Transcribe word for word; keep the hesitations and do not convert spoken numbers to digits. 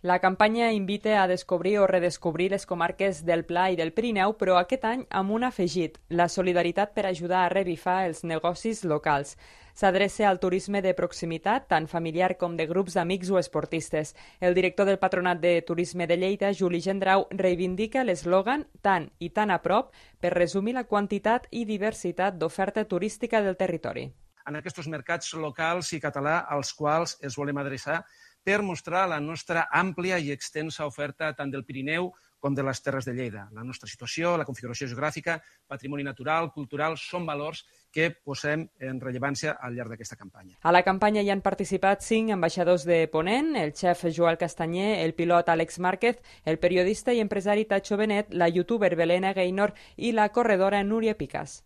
La campanya invita a descobrir o redescobrir les comarques del Pla i del Pirineu, però aquest any amb un afegit, la solidaritat per ajudar a revifar els negocis locals. S'adreça al turisme de proximitat, tant familiar com de grups d'amics o esportistes. El director del Patronat de Turisme de Lleida, Juli Gendrau, reivindica l'eslògan «Tant i tan a prop» per resumir la quantitat i diversitat d'oferta turística del territori. En aquests mercats locals i català als quals es volem adreçar per mostrar la nostra àmplia i extensa oferta tant del Pirineu com de les Terres de Lleida. La nostra situació, la configuració geogràfica, patrimoni natural, cultural, són valors que posem en rellevància al llarg d'aquesta campanya. A la campanya hi han participat cinc ambaixadors de Ponent, el xef Joel Castanyer, el pilot Àlex Márquez, el periodista i empresari Tacho Benet, la youtuber Belén Gaynor i la corredora Núria Picas.